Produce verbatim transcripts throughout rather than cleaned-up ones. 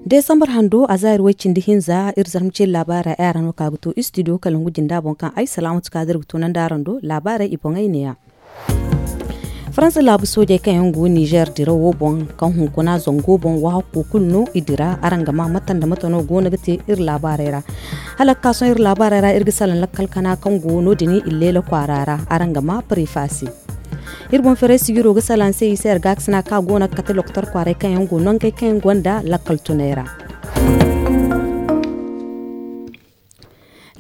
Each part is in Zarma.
Desambar hando a zaari way cindi hinza iri zarma ceeri laabaarey ay araŋ no ka ga to istidiyo kala ngu jinda boŋ kaŋ ay salaamatu kaadir ga tunandi araŋ do. Laabaarey i boŋey neeya. Faransa laabu soojey kaŋ yaŋ go nizer dirawo boŋ kaŋ hunkuna zango boŋ wahakko kulu no i dira araŋ ga ma mate nda mate no go no ga te iri laabaarey ra. Hala ga ka sohõ iri laabaarey ra iri ga salaŋ lakkal kana kaŋ go no- din illeela kwaara ra araŋ ga ma pareefa se. Iri boŋ ferey sijiro ga salaŋ se i se iri gaakasina kaŋ a go no ga kate lokotor kwaaray kaŋ yaŋ go nangey kaŋ yaŋ gonda lakkal tunay ra.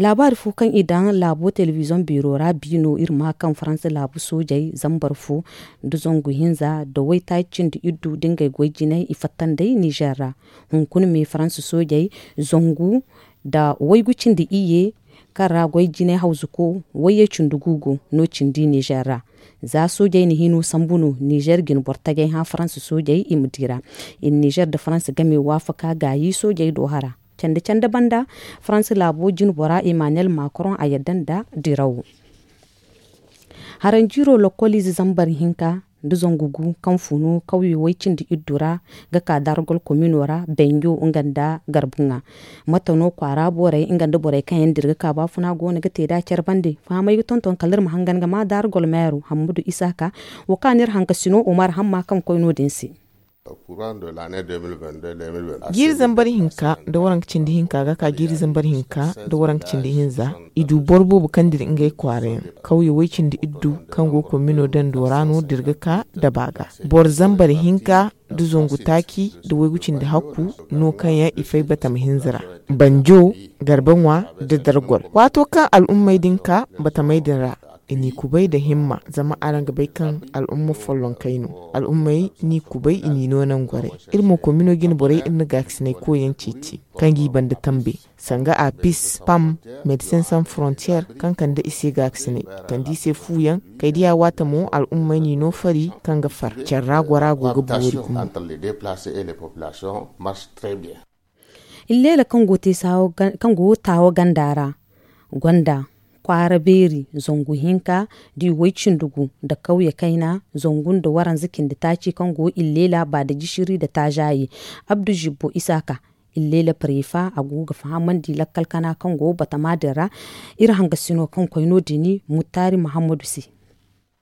Laabaari fo kaŋ i daŋ laabo telebizoŋ beero ra bi no iri ma kaŋ faransa laabu soojey zambar fo nda zangu hinza nda waytaaci cindi iddu nda ngey goy jinay i fatta nd'ey nizer ra. Hunkuna me faransa soojey zangu nda waygu cindi iyye kaŋ ra goy jinay hawzuko wayye cindi gu go no cindi nizer ra. Za soojey na hino sambu no nizer ga ni boro tajay hã faransa soojey i ma di ra. I na nizer nda faransa game waafaka gaayi soojey do hara. Canda canda banda faransa laabo jinbora emmanuel macron a yadda nda dirawo. Haranjiiro lokkoliize zambar hinka nda zangu gu kaŋ funu kawyo way cindi iddu ra ga ka dargol komino ra benjo nga nda garbuŋa. Mate no kwaara borey nga nda borey kaŋ yaŋ dira ga ka baafuna go no ga te nd'a care bande fahamey ga tonton kala iri ma hangan ga ma dargol meero hammadu isaaka. Wo kaŋ a ne iri hankasino umar hamma kaŋ koy no- din se. Jiiri zambar hinka nda waranka cindi hinka ga ka jiiri zambar hinka nda waranka cindi hinza. I du boro boobo kaŋ dira ngey kwaara yaŋ kawye way cindi iddu kaŋ go komino dando ra no dira ga ka daba ga. Boro zambar hinka nda zangu taaci nda waygu cindi hakku no kaŋ yaŋ i fay batama hinza ra. Banjo garba ŋwa nda dargol waato kaŋ al'ummey din ka batamey din ra. I n'i kubay nda himma zama araŋ ga bay kaŋ al'umma follonkey no. Al'ummey n'i kubay i n'i no nangorey. Iri mo komino jine borey iri na gaakasinay koyyaŋ ceeci kaŋ g'i banda tambe sanga apis pam, medecin san frontier kaŋ kande i se gaakasinay kande i se fuuyaŋ. Kay diya waata mo al'ummey n'i no fari kaŋ ga far care ra gora go ga boori gumo. Illeela kaŋ go taawo ganda ra gonda kwaara beeri zangu hinka da i way cindi gu nda kawye kayna zangu nda waranza cindi taaci kaŋ go illeela ba da jisiri nda taazaye. Abdu zibbo isaaka illeela pareefa a go ga fahamandi lakkal kana kaŋ go batama din ra. Iri hangasino kaŋ koy no- din muttaari muhammadu se.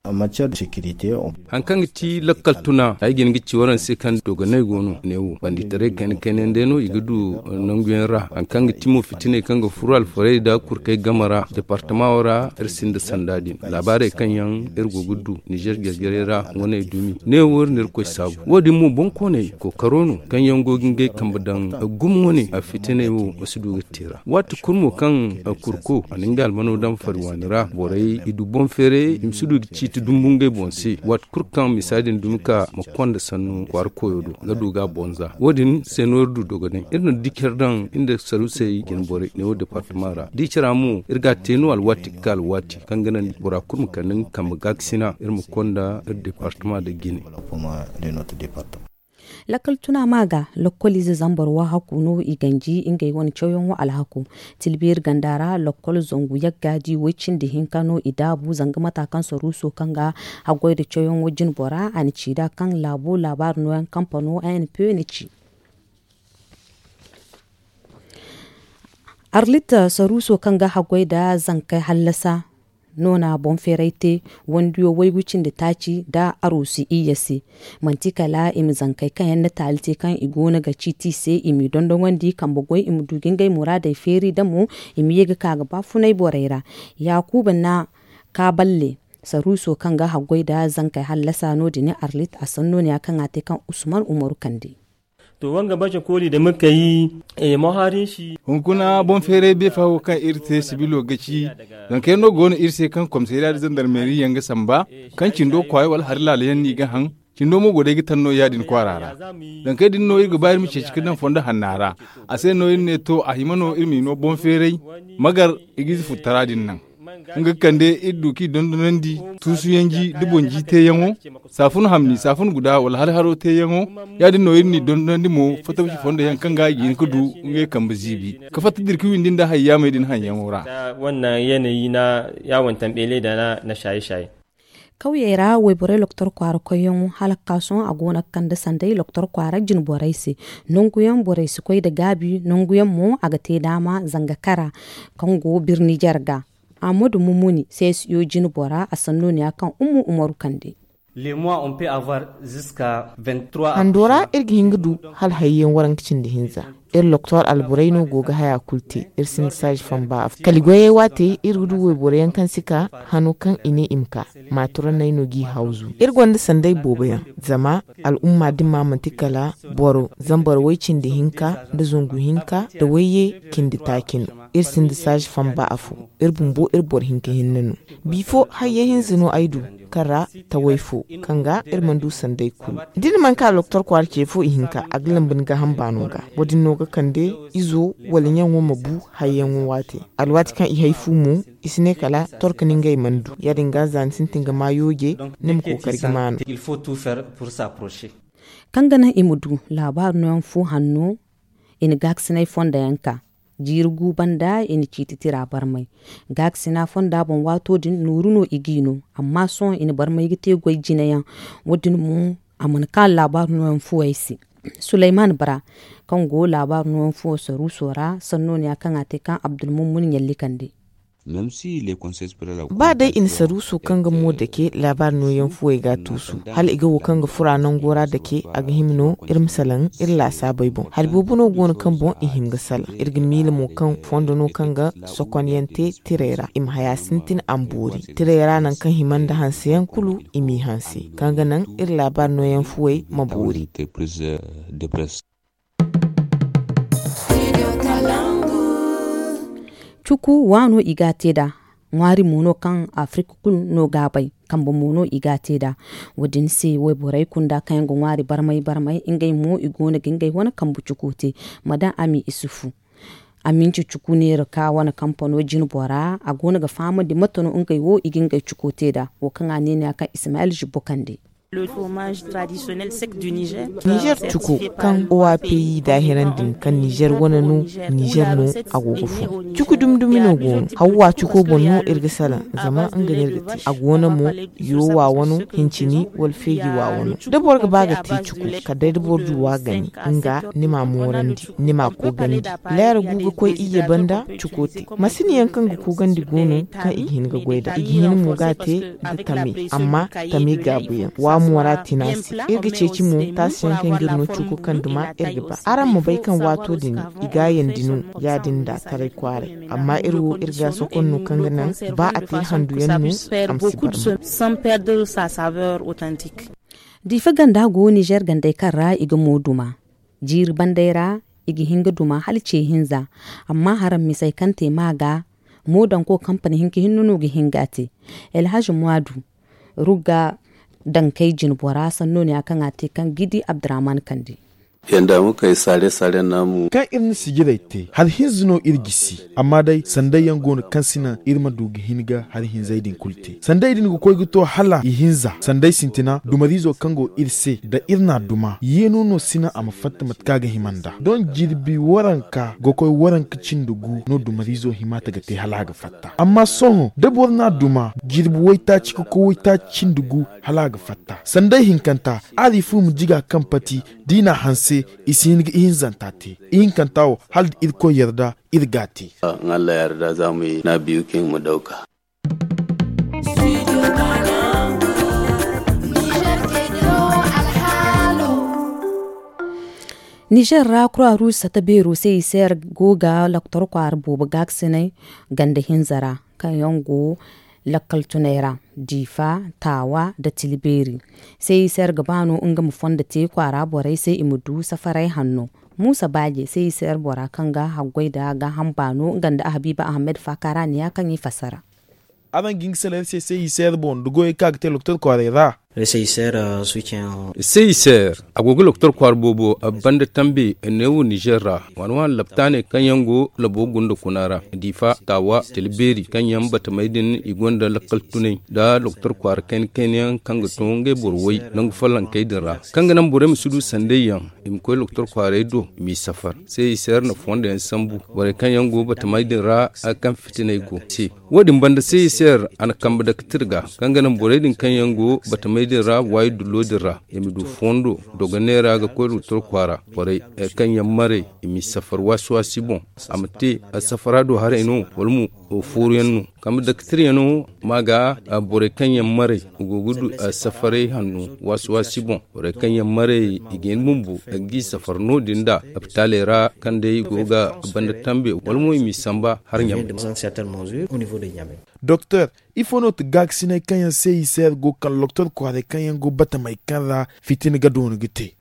Hari kaŋ ga ti lakkal tuna ay ga hin ga ci waraŋ se kaŋ dogonay go no neewo banditaray kayna kayna yaŋ day no i ga du nangu yaŋ ra hari kaŋ ga ti mo fitinay kaŋ ga furo alfarey nda kurkey game ra departama wo ra iri sinda sanda din laabaarey kaŋ yaŋ iri go ga du nizer jarjarey ra wane dumi neewo iri na irkoy saabu wo- din mo boŋ kooney kookaro no kaŋ yaŋ go ga ngey kambe daŋ gumo wane a fitinay wo ma si du ga te ra waati kulu mo kaŋ kurko a na nga almano daŋ fari waani ra borey i du boŋ feeray i ma si du ga ciiti dumbu ngey boŋ se waati kulu kaŋ misa din dumi ka ma konda sannu kwaara koyo do ga du ga a boŋ za wo- din se no iri du dogonay iri na di care daŋ iri nda sarusey jine borey neewo departama ra da i care ra mo iri ga a te no alwaati ga ka alwaati kaŋ ga naŋ bora kulu ma kande nga kambe gaakasina iri ma konda iri departama nda jine. Lakkal tuna ma ga lakkoliize zambar wahakku no i ganji ngey wane cawyaŋo alhakku. Tilbeeri ganda ra lakkol zangu yagga di way cindi hinka no i daabu zanga mata kaŋ saruuso kaŋ ga haggoy nda cawyaŋo jine bora a na ci nd'a kaŋ laabo laabaari nooyaŋ kampano a n p na ci. Arlit saruuso kaŋ ga haggoy nda zankey hallasa no na boŋ feeray te wandiyo waygu cindi taaci nda arusi iyye se. Manti kala i ma zankey kaŋ yaŋ na taali te kaŋ i go no ga ciiti i se i m'i dondonandi kambe goy i ma du ga ngey muraadey feeri da mo i ma ye ga ka ga baafunay borey ra. Yaakuba na kaaballe saruuso kaŋ ga haggoy nda zankey hallasa no- din arlit a sanno ne ya kaŋ a te kaŋ usman umaru kande. To wanga bace kooli da muka yi. Maharin shi. Hunkuna boŋ feeray beefa wo kaŋ iri te sibilo ga ci. Zanka yaŋ no go no iri se kaŋ komisariya da zandarmeri yaŋ ga samba kaŋ cindo kwaay wala hari laala yaŋ no i ga haŋ. Cindo mo go day ga taŋ no ya- din kwaara ra. Zankey din no iri ga ba iri ma ceeci ga daŋ fondo hanna ra. A se no iri ne to a hima no iri m'i no boŋ feeray. Magar i ga ize futtara din naŋ. Nga ga kande iri du k'i dondonandi tuusuyanji da boŋ ji teeyaŋo. Saafun hamni saafun guda wala hari haro teeyaŋo. Ya- din no iri n'i dondonandi mo fattabuci fondo yaŋ kaŋ ga i ga hin ga du ngey kambe ziibi ka fatta dira ka windi nda hayyaamey din haŋyaŋo ra. Wannan yanayi na yawon tambeele da na shaye-shaye. Kawyey ra wayborey loktor kwaara koyyaŋo hala ga ka sohõ a go no ga kande sanday loktor kwaara jine borey se. Nangu yaŋ borey si koy nda gaabi, nangu yaŋ mo a ga te daama zanga kara kaŋ go birni jarga. Ahmadu mumuni seesiyo jine bora a sanno ne ya kaŋ ummu umaru kande. Hando ra iri ga hin ga du hala hayyaŋ waranka cindi hinza. Iri loktor alborey no go ga haya kulu te. Iri sinda saaji famba a fo kala goyey waate iri ga du wayboro yaŋ kaŋ si ka hano kaŋ i ne i ma ka maaturaney no g'i hawzu. Iri gonda sanday boobo yaŋ zama al'umma din ma manti kala boro zambar way cindi hinka nda zangu hinka nda wayye cindi taaci no. Iri sinda saaji famba a fo. Iri bumbo iri boro hinka hinne no. Bifo hayyaŋ hinza no ay du kaŋ ra taway fo kaŋ ga iri mana du sanday kulu. Da iri mana ka loktor kwaara ce fo ihinka a ga lambu ni gaaham baano ga. Wo- din no ga kande izo wala ɲaŋo ma bu hayyaŋo waate. Alwaati kaŋ i hay fu mo i si ne kala torka no ngey mana du. Ya- din ga za ni sintin ga ma yooje ni ma kookari ga ma no. Kaŋ ga naŋ i ma du laabaari nooyaŋ fu hanno i na gaakasinay fonda yaŋ ka. Jiiri gu banda i na ciiti tira barmay. Gaakasina fonda boŋ waato din nooru no i g'i no. Amma sohõ i na barmay ga te goy jine yaŋ. Wo- din mo a mana ka laabaari nooyaŋ fuwey se. Sulayman bara kaŋ go laabaari nooyaŋ fuwo saruuso ra sanno ne ya kaŋ a te kaŋ abdulmummun ɲalli kande. Ba day i na saruuso kaŋ ga mo dake laabaari nooyaŋ fuwey ga a tuusu hala i ga wo kaŋ ga fura nango ra dake a ga hima no iri ma salaŋ iri laasaabey boŋ hari boobo no go no kaŋ boŋ i hima ga salaŋ. Iri ga miila mo kaŋ fondo no kaŋ ga sokonyaŋ te tirey ra i ma haya sintin a ma boori tirey ra nangu kaŋ hima nda hanseyaŋ kulu i m'i hanse kaŋ ga naŋ iri laabaari nooyaŋ fuwey ma boori. Cuku waano i ga a te nd'a ŋwaari mo no kaŋ afirika kulu no ga a bay. Kambe mo no i ga a te nd'a. Wo- din se wayborey kunda kaŋ yaŋ ga ŋwaari barmay barmay ngey mo i go no ga ngey wane kambe cuko te. Madam ami isufu aminci cuku neera ka wane kampano jine bora a go no ga fahamandi mate no ngey wo i ga ngey cuko te nd'a wo kaŋ a ne no ya kaŋ ismayil zibbo kande. Nizer cuko kaŋ owa peyi daahirandi kaŋ nizer wane no nizer no a go ga fun cuku dumi dumi no go no hawwa cuko boŋ no iri ga salaŋ zama nga no iri ga te a go no mo yoowa wano hincini wala feeji wa wano da boro ga ba ga te cuku kala day da boro du wa gani nga ni ma moorandi ni ma koogandi. Leera gu ga koy iyye banda cuko te masini yaŋ kaŋ ga koogandi go no kaŋ i ga hin ga goy nd'a i ga hin mo ga a te nda tame amma tame gaabuyaŋ wa moora tina se iri ga ceeci mo taasi yaŋ kaŋ ga iri no cuko kaŋ duma iri ga ba araŋ ma bay kaŋ waato din i gaayandi no ya- din nda taray kwaaray amma iri wo iri ga sokon no kaŋ ga naŋ ba a te handu yaŋ no a ma si bar mo. Diifa ganda go nizer gandey kaŋ ra i ga mo duma jiiri bandey ra i ga hin ga duma hala ce hinza. Amma haraŋ misey kaŋ te ma ga moodanko kampani hinka hinne no ga hin ga a te. Elhazi muwaadu rugga dankey jine bora sanno no ya kaŋ a te kaŋ gidi abdurahman kande. Yanda muka yi saare saare namu kaŋ iri na sijirey te hari hinza no iri gisi amma day sanday yaŋ go no kaŋ si naŋ iri ma du ga hin ga hari hinzey din kulu te sanday din ga koy ga to hala i hinza sanday sintina dumariizo kaŋ go iri se nda iri n'a duma yeeno no si naŋ a ma fatta mate kaŋ a ga hima nd'a doŋ jirbi waranka ga koy waranka cindi gu no dumariizo hima ta ga te hala a ga fatta amma sohõ da boro n'a duma jirbi waytaaci ga koy waytaaci cindi gu hala a ga fatta sanday hinkanta a di fu ma jiga kaŋ pati da i n'a hanse i si hin ga ihinzanta te ihinkanta wo hala da irkoy yarda iri ga a te. Nga alla yarda za mu ye na biyu kin mu dauka. Nizer ra kura ruusa ta beero se i seer go ga loktor kwaara boobo gaakasinay ganda hinza ra kaŋ yaŋ go lakkal tunay ra diifa taawa nda tilbeeri. Seeyi se iri ga ba no nga ma fondo te kwaara borey se i ma du safaray hanno. Muusa baaje seeyi se iri bora kaŋ ga haggoy nda gaaham baano nga nda habiiba ahamed faakaara ne ya kaŋ i fassara. Araŋ ga hin ga salaŋ iri se seeyi se iri boŋ nda goyey kaŋ a ga te loktor kwaaray ra. Seyiseer a go ga loktor kwaara boobo banda tambe neewo nizer ra. Waani waani laptaaney kaŋ yaŋ go labo gunda kuna ra, diifa, taawa, tila beeri kaŋ yaŋ batamey din i gonda lakkal tunay nda loktor kwaara kayna kayna yaŋ kaŋ ga to ngey boro way nangu follonkey din ra, kaŋ ga naŋ borey ma si du sanday yaŋ. I ma koy loktor kwaaray do i m'i safar. Seyiseer na fondo yaŋ sambu borey kaŋ yaŋ go batamey din ra, kaŋ fitiney go se. Wo- din banda seyiseer a na kambe daktir ga kaŋ ga naŋ borey din kaŋ yaŋ go batamey din ra waayi dullo din ra, i ma du fondo dogoney ra ga koy loktor kwaara. Borey kaŋ yaŋ maray, i m'i safar waasi waasi boŋ. A ma te safara do haray no wala mo fooru yaŋ no? Kambe daktir yaŋo ma ga borey kaŋ yaŋ maray, i go ga du safaray hanno waasi waasi boŋ. Borey kaŋ yaŋ maray, i ga hin bumbo ga i safar no- din nda lapitaaley ra kaŋ day i go ga banda tambe wala mo i m'i samba har ɲamay. Doktor, ifo no ti gaakasiney kaŋ yaŋ se i se go kala loktor kwaaray kaŋ yaŋ go batamey kaŋ ra fitina ga doona ga te?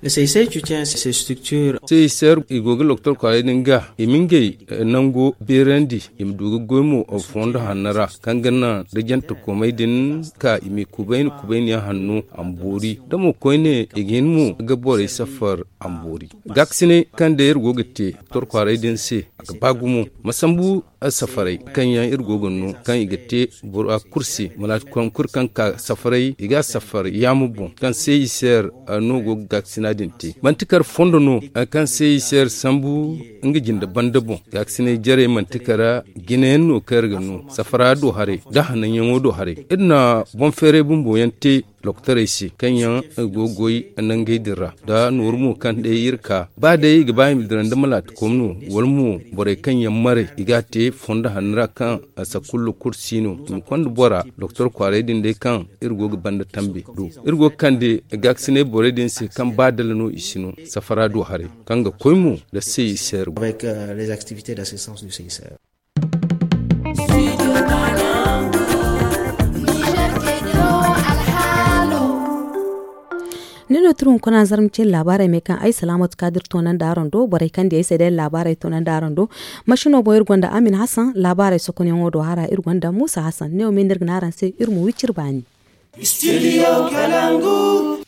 Seyiseer i go ga loktor kwaaray din ga i ma ngey nango beerandi, i ma du ga goy mo fondo hanno ra kaŋ ga naŋ da jante komey din ka i m'i kubayni kubayni yaŋ hanno a ma boori da mo koyne i ga hin mo ga borey safar a ma boori. Gaakasiney kaŋ day iri go ga te loktor kwaaray din se a ga ba gumo. Ma sambu safaray kaŋ yaŋ iri go ga no kaŋ i ga te bora kulu se malaati koyne kulu kaŋ ka safaray i ga a safar yaama boŋ kaŋ se i se iri no go ga gaakasina din te manti kar fondo no kaŋ se i se iri sambu nga jinde banda boŋ. Gaakasinay jarey manti kar jine yaŋ no kaŋ iri ga no safara do haray da hananyaŋo do haray. Iri na boŋ feeray bumbo yaŋ te loktorey se kaŋ yaŋ go ga goy nangey din ra nda nooru mo kaŋ day iri ka ba day i ga ba i ma dira nda malaati kom no wala mo borey kaŋ yaŋ maray i ga a te fondo hanno ra kaŋ sakullu kulu si no i ma konda bora. Loktor kwaaray din day kaŋ iri go ga banda tambe do iri go ga kande gaakasinay borey din se kaŋ ba dala no i si no safara do haray kaŋ ga koy mo nda se i se iri go. Ni no turu hunkuna zarma cin laabaarey me kaŋ ay salaamatu kaadir toonandi araŋ do borey kaŋ di ay se day laabaarey toonandi araŋ do. Masino boŋ iri gonda amin hasan laabaarey sokonyaŋo do hara iri gonda muusa hasan ne wo me no iri ga ne araŋ se iri ma wi cire baani.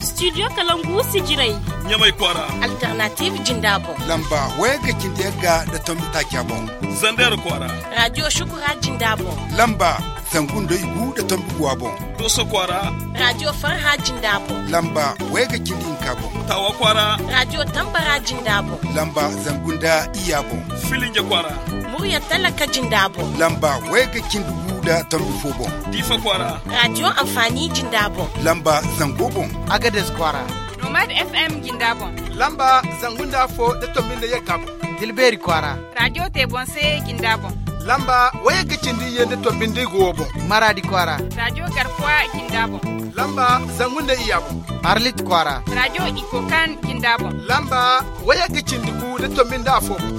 Studio kalangu sijirey ɲamay kwaara. Alternative jinda boŋ lamba wayagga cindi yagga nda tombi taaca boŋ. Zander kwaara radio shukura jinda boŋ lamba zangu nda igu nda tombi guwa boŋ. Doso kwaara radio farha jinda boŋ lamba wayagga cindi hinka boŋ. Tawa kwaara radio tambara jinda boŋ lamba zangu nda iyya boŋ. Filinja kwaara murya talaka jinda boŋ lamba wayagga cindi gu nda tombi fo boŋ. Diifa kwaara radio anfaani jinda boŋ lamba zango boŋ. Agades kwaara nomad fm jinda boŋ lamba zangu nda afo nda tombi nda yagga boŋ. Tilbeeri kwaara radio te boŋ se jinda boŋ lamba wayagga cindi iyye nda tombi nda igu wo boŋ. Maraadi kwaara radio garkuwa jinda boŋ lamba zangu nda iyya boŋ. Arlit kwaara radio ikokan jinda boŋ lamba wayagga cindi gu nda tombi nda afo boŋ.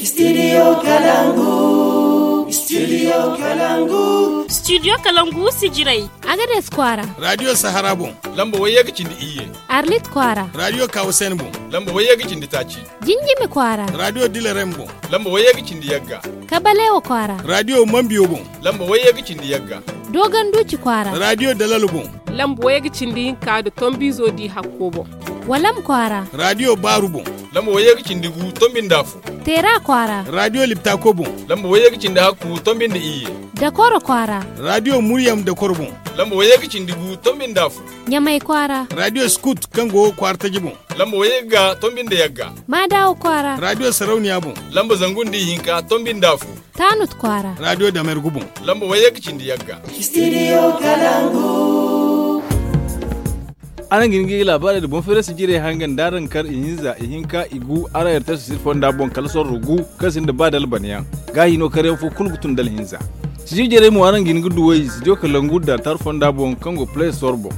Studio kalangu studio kalangu studio kalangu sijirey. Agades kwaara radio sahara boŋ lamba wayagga cindi iyye. Arlit kwaara radio kawasen boŋ lamba wayagga cindi taaci. Jinjimi kwaara radio dilarem boŋ lamba wayagga cindi yagga. Kabalewa kwaara radio mambiyo boŋ lamba wayagga cindi yagga. Dogonduuci kwaara radio dalalo boŋ lamba wayagga cindi hinka nda tombiizo di hakko boŋ. Walam kwaara radio baaru boŋ lamba wayagga cindi gu tombi nda afo. Teera kwaara radio liptako boŋ lamba wayagga cindi hakku tombi nda iyye. Dakoro kwaara radio muryam dakoro boŋ lamba wayagga cindi gu tombi nda afo. Ɲamay kwaara radio skut kaŋ go kwaara taji boŋ lamba wayagga tombi nda yagga. Maadawa kwaara radio sarauniya boŋ lamba zangu nda ihinka tombi nda afo. Taanut kwaara radio damergu boŋ lamba wayagga cindi yagga. Studio kalangu. Araŋ ga hin ga laabaarey nda boŋ feerasi jirey hangan da araŋ kar ihinza ihinka igu araŋ rts sir fonda boŋ kala sorro gu kaŋ sinda ba da alban yaŋ. Gaahi no karyaŋ fo kulu ga tun da alhinza. Sijir jarey mo araŋ ga hin ga duw'ey studio kalangu da tar fonda boŋ kaŋ go play store boŋ.